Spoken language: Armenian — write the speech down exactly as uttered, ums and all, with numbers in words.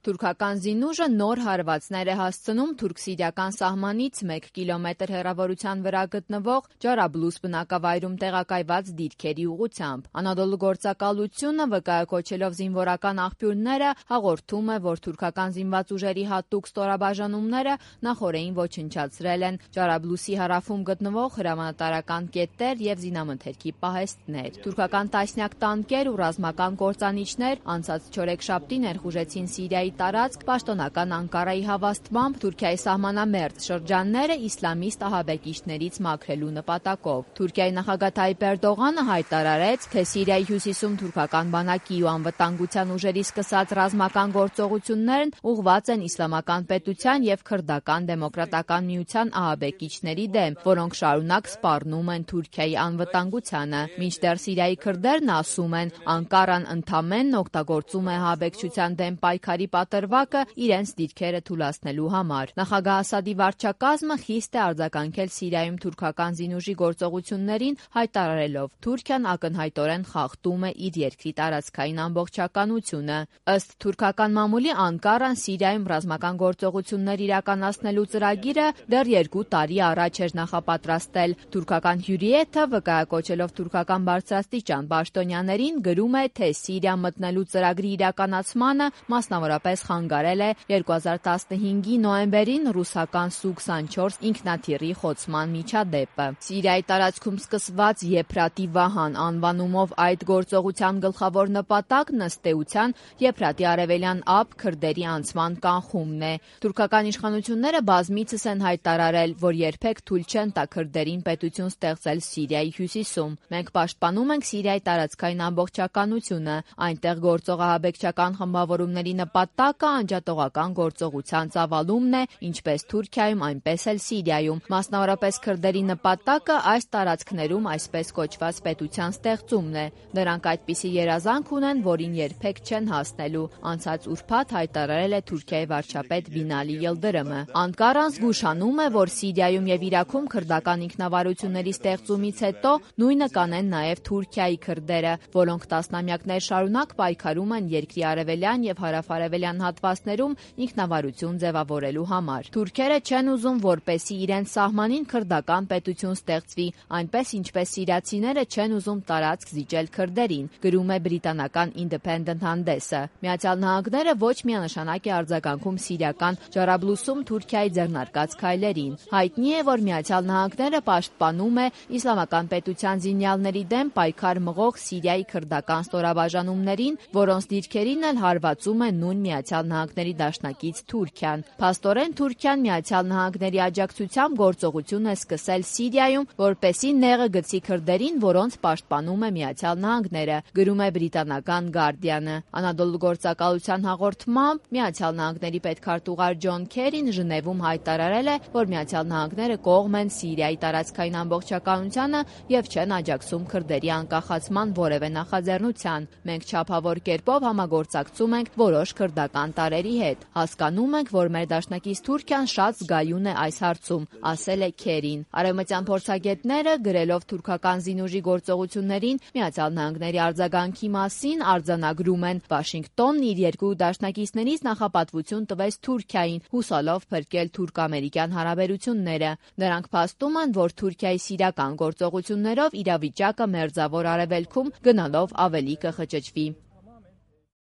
Թուրքական զինուժը նոր հարվածներ է հասցնում թուրք-սիրիական սահմանից մեկ կիլոմետր հեռավորության վրա գտնվող Ջարաբլուս բնակավայրում տեղակայված դիրքերի ուղղությամբ։ Անադոլու գործակալությունը, վկայակոչելով զինվորական աղբյուրները, հաղորդում է, որ թուրքական զինված ուժերի հատուկ ստորաբաժանումները նախօրեին ոչնչացրել են Ջարաբլուսի հարավում գտնվող հրամանատարական կետեր և զինամթերքի պահեստներ։ Թուրքական տասնյակ տանկեր ու ռազմական կործանիչներ անցած չորեքշաբթի ներխուժեցին Սիրիայի տարածք պաշտոնական Անկարայի հավաստմամբ Թուրքիայի սահմանամերձ շրջանները իսլամիստ ահաբեկիչներից մաքրելու նպատակով։ Թուրքիայի նախագահ Թայիպ Էրդողանը հայտարարեց, թե Սիրիայի հյուսիսում թուրքական բանակի ու անվտանգության ուժերի սկսած ռազմական գործողություններն ուղղված են Իսլամական պետության և Քրդական դեմոկրատական միության ահաբեկիչների դեմ, որոնք շարունակ սպառնում են Թուրքիայի անվտանգությանը։ Մինչդեռ Սիրիայի քրդերն ասում են, Անկարան ընդամենն օգտագործում է ահաբեկչության դեմ պայքարի պատրվակը իրենց դիրքերը թուլացնելու համար։ Նախագահ Ասադի վարչակազմը խիստ է արձագանքել Սիրիայում թուրքական զինուժի գործողություններին, հայտարարելով. Թուրքիան ակնհայտորեն խախտում է իր երկրի տարածքային ամբողջականությունը։ Ըստ թուրքական մամուլի, Անկարան Սիրիայում ռազմական գործողություններ իրականացնելու ծրագիրը դեռ երկու տարի առաջ էր նախապատրաստել։ Թուրքական հյուրիեթը, վկայակոչելով թուրքական բարձրաստիճան պաշտոնյաներին, գրում է, թե Սիրիա մտնելու ծրագրի իրականացմանը մասնավորապես խանգարել է երկու հազար տասնհինգի նոյեմբերին ռուսական Սու քսանչորս ինքնաթիռի խոցման միջադեպը։ Սիրիայի տարածքում սկսված Եփրատի վահան անվանումով այդ գործողության գլխավոր նպատակն ըստ էության Եփրատի արևելյան ափ քրդերի անցման կանխումն է։ Թուրքական իշխանությունները բազմիցս են հայտարարել, որ երբեք թույլ չեն տա քրդերին պետություն ստեղծել Սիրիայի հյուսիսում։ Մենք պաշտպանում ենք Սիրիայի տարածքային ամբողջականությունը, այնտեղ գործող ահաբեկչական խմբավորումների նպատակը անջատողական գործողության ծավալումն է ինչպես Թուրքիայում, այնպես էլ Սիրիայում։ Մասնավորապես քրդերի նպատակը այս տարածքներում այսպես կոչված պետության ստեղծումն է։ Նրանք այդպիսի երազանք ունեն, որին երբեք չեն հասնելու, անցած ուրբաթ հայտարարել է Թուրքիայի վարչապետ Բինալի Յիլդրիմը։ Անկարան զգուշանում է, որ Սիրիայում և Իրաքում քրդական ինքնավարությունների ստեղծումից հետո նույնը կանեն նաև Թուրքիայի քրդերը, որոնք տասնամյակներ շարունակ պայքարում են երկրի արևելյան և հարավ-արևելյան հատվածներում ինքնավարություն ձևավորելու համար։ Թուրքերը չեն ուզում, որպեսզի իրենց սահմանին քրդական պետություն ստեղծվի, այնպես ինչպես սիրիացիները չեն ուզում տարածք զիջել քրդերին, գրում է բրիտանական Independent հանդեսը։ Միացյալ Նահանգները ոչ միանշանակ է արձագանքում սիրիական Ջարաբլուսում Թուրքիայի ձեռնարկած քայլերին։ Հայտնի է, որ Միացյալ Նահանգները պաշտպանում է Իսլամական պետության զինյալների դեմ պայքար մղող Սիրիայի քրդական ստորաբաժանումներին, որոնց դիրքերին էլ հարվածում է նույն Միացյալ Նահանգների դաշնակից Թուրքիան։ Փաստորեն Թուրքիան Միացյալ Նահանգների աջակցությամբ գործողություն է սկսել Սիրիայում, որպեսզի նեղը գցի քրդերին, որոնց պաշտպանում է Միացյալ Նահանգները, գրում է բրիտանական Guardian-ը։ Անադոլու գործակալության հաղորդմամբ Միացյալ Նահանգների պետքարտուղար Ջոն Քերին Ժնևում հայտարարել է, որ Միացյալ Նահանգները կողմ են Սիրիայի տարածքային ամբողջականությանը և չեն աջակցում քրդերի անկախացման որևէ նախաձեռնության։ Մենք չափավոր կերպով համագործակցում ենք որոշ քրդական տարրերի հետ։ Հասկանում ենք, որ մեր դաշնակից Թուրքիան շատ զգայուն է այս հարցում, ասել է Քերին։ Արևմտյան փորձագետները, գրելով թուրքական զինուժի գործողություններին Միացյալ Նահանգների արձագանքի մասին, արձանագրում են. Վաշինգտոնն իր երկու դաշնակիցներից նախապատվություն տվեց Թուրքիային, հուսալով փրկել թուրք-ամերիկյան հարաբերությունները։ Նրանք փաստում են, որ Թուրքիայի սիրիական գործողություններով իրավիճակը Մերձավոր Արևելքում գնալով ավելի կխճճվի։